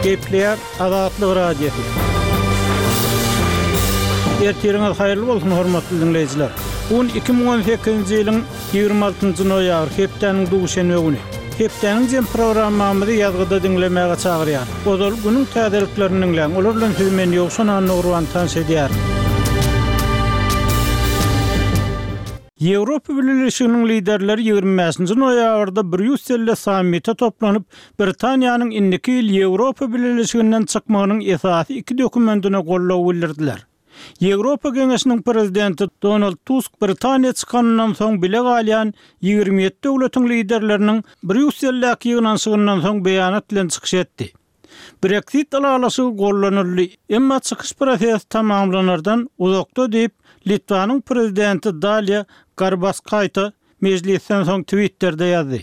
Gepleýär Azatlyk Radiosy. Ertiriňiz haýyrly bolsun, hormatly diňleýjiler! Bu gün 2018-nji ýylyň 26-njy noýabry, hepdäniň duşenbe güni. Hepdäniň jem programmamyzy ýazgyda diňlemäge çagyrýar. Ozal günüň täzeliklerini diňläň, olar bilen sizi men Ýowşan Annagurban tanyş edýärin. Ýewropa Bileleşiginiň liderleri 25-nji noýabrda Brýusselde sammite toplanyp, Britaniýanyň indiki ýyl Ýewropa Bileleşiginden çykmagynyň esasy iki dokumentine goldaw bildirdiler. Ýewropa Geňeşiniň Prezidenti Donald Tusk Britaniýa çykanyndan soň bile galýan 27 döwletiň liderleriniň Brýusseldäki ýygnanyşygyndan soň beýanat bilen çykyş etdi. Breksit ylalaşygy gollanyldy, emma çykyş prosesi tamamlanardan uzakda diýip, Litwanyň Prezidenti Daliýa Garbaskaýte mejlisden soň Twitterde ýazdy.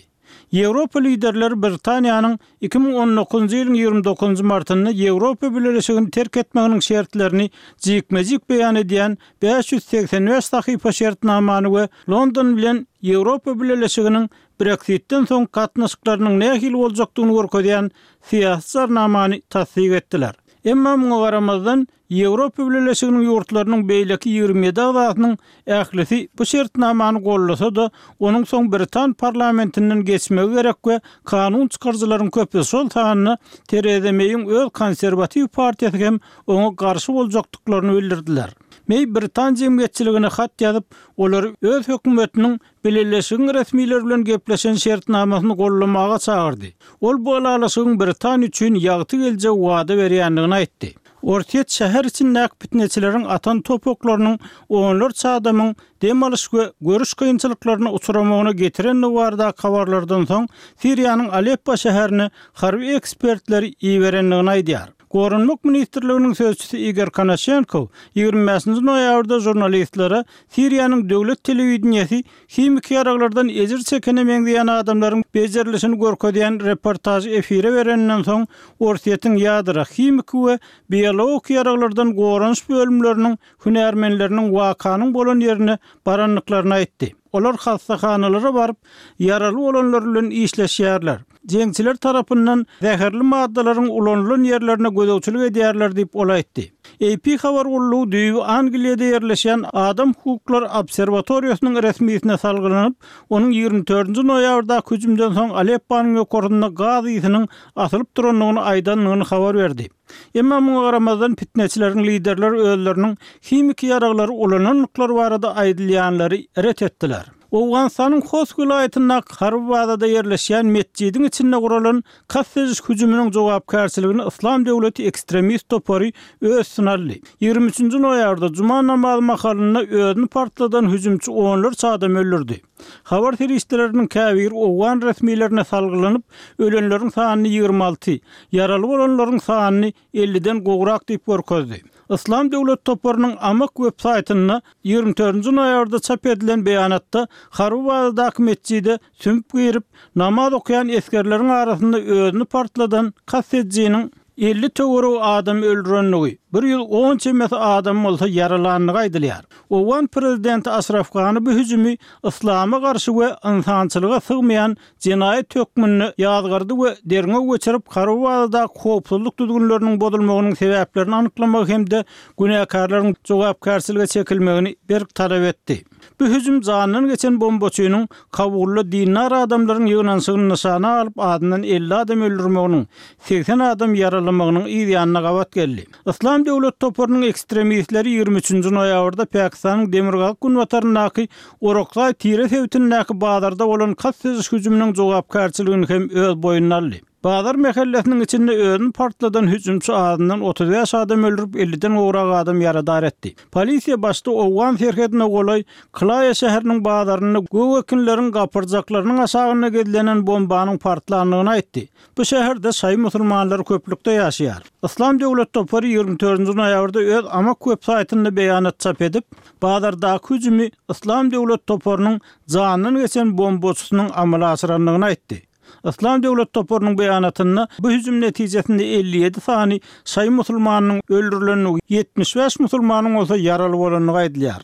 Ýewropa liderleri Britaniýanyň 2019-njy ýylyň 29-njy martynda Ýewropa Bileleşigini terk etmeginiň şertlerini jikme-jik beýan edýän 585 sahypa şertnamany we London bilen Ýewropa Bileleşiginiň Breksitden soň gatnaşyklarynyň nähili boljakdygyny görkezýän syýasy jarnamany tassyk etdiler. Emma muňa garamazdan, Ýewropa Bileleşiginiň ýurtlarynyň beýleki 27 agzasynyň ählisi bu şertnamany goldasa-da, onuň soň britan parlamentinden geçmegi gerek we kanun çykaryjylaryň köpüsi, şol sanda Tereza Meýiň öz Konserwatiw partiýasy hem oňa garşy boljakdyklaryny bildirdiler. Meý britan jemgyýetçiligine hat ýazyp, olary öz hökümetiniň Bileleşigiň resmileri bilen gepleşen şertnamasyny goldamaga çagyrdy. Ol bu ylalaşygyň Britaniýa üçin ýagty geljegi wada berýändigini aýtdy. Orsýet şäher içindäki pitneçileriň atan top oklarynyň onlarça adamyň dem alyş we görüş kynçylyklaryna uçramagyna getirendigi baradaky habarlardan soň Siriýanyň Aleppo şäherine harby ekspertleri iberendigini aýdýar. Goranmak ministrliginiň sözçüsi Igor Konaşenkow 25-nji noýabrda žurnalistlere Siriýanyň döwlet telewideniýesi himiki ýaraglardan ejir çekene meňzeýän adamlaryň bejerilişini görkezýän reportažy efire bereninden soň Orsýetiň ýadro, himiki we biologiki ýaraglardan goranyş bölümleriniň hünärmenleriniň wakanyň bolan ýerine barandyklaryny aýtdy. Olar hassahanalara baryp, ýaraly bolanlar bilen işleşýärler. Jeňçiler tarapyndan zäherli maddalaryň ulanylan ýerlerine gözegçilik edýärler diýip, ol aýtdy. AP habar gullugy düýbi Angliýada ýerleşýän Adam hukuklary obserwatoriýasynyň resmisine salgylanyp, onuň 24-nji noýabrdaky hüjümden soň Alepponyň ýokarsynda gaz ysynyň asylyp durandygyny aýdandygyny habar berdi. Emma muňa garamazdan pitneçileriň liderleri özleriniň himiki ýaraglary ulanandyklary barada aýdylýanlary ret etdiler. Owganystanyň Host welaýatyndaky harby bazada ýerleşýän metjidiň içinde guralan kast ediş hüjüminiň jogapkärçiligini Yslam döwleti ekstremist topary öz üstüne aldy. 23-nji noýabrda juma namazy mahalynda özüni partladan hüjümçi onlarça adamy öldürdi. Habar serişdeleriniň käbiri owgan resmilerine salgylanyp, ölenleriň sanyny 26, ýaraly bolanlaryň sanyny elliden gowrak diýip görkezdi. Yslam döwlet toparynyň Amak web saýtynda 24-nji noýabrda çap edilen beýanatda harby bazadaky metjide sümüp girip, namaz okaýan esgerleriň arasynda özüni partladan kast edijiniň 50 töweregi adamy öldürendigi, 110 çemesi adamy bolsa ýaralandygy aýdylýar. Owgan prezidenti Aşraf Gani bu hüjümi yslama garşy we ynsançylyga sygmaýan jenaýat hökmünde ýazgardy we derňew geçirip, harby bazadaky howpsuzlyk düzgünleriniň bozulmagynyň sebäplerini anyklamagy hem-de günäkärleriň jogapkärçilige çekilmegini berk talap etdi. Bu hüjüm janyndan geçen bombaçynyň Kabulda dindar adamlaryň ýygnanyşygyny nyşana alyp azyndan 50 adam öldürmeginiň, 80 adam ýaralamagynyň yz ýanyna gabat geldi. Yslam döwlet toparynyň ekstremistleri 23-nji noýabrda Pakistanyň demirgazyk-günbataryndaky Orakzaý tire sebitindäki bazarda bolan kast ediş hüjüminiň jogapkärçiligini hem öz boýnuna aldy. Bazar mähellesiniň içinde özüni partladan hüjümçi azyndan 35 adam öldürip, 50-den gowrak adam ýaradar etdi. Polisiýa başda owgan serhedine golaý Klaýa şäheriniň bazarynda gök ekinleriň gapyrjaklarynyň aşagynda gizlenen bombanyň partlandygyny aýtdy. Bu şäherde şaýy musulmanlary köplükde ýaşaýar. Yslam döwlet topary 24-nji noýabrda öz Amak web saýtynda beýanat çap edip, bazardaky hüjümi Yslam döwlet toparynyň janyndan geçen bombaçysynyň amala aşyrandygyny aýtdy. Yslam döwlet toparynyň beýanatynda bu hüjüm netijesinde 57 sany şaýy musulmanynyň öldürilendigi, 75 musulmanyň bolsa ýaraly bolandygy aýdylýar.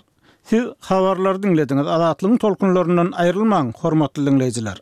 Siz habarlary diňlediňiz. Azatlygyň tolkunlaryndan aýrylmaň, hormatly diňleýjiler!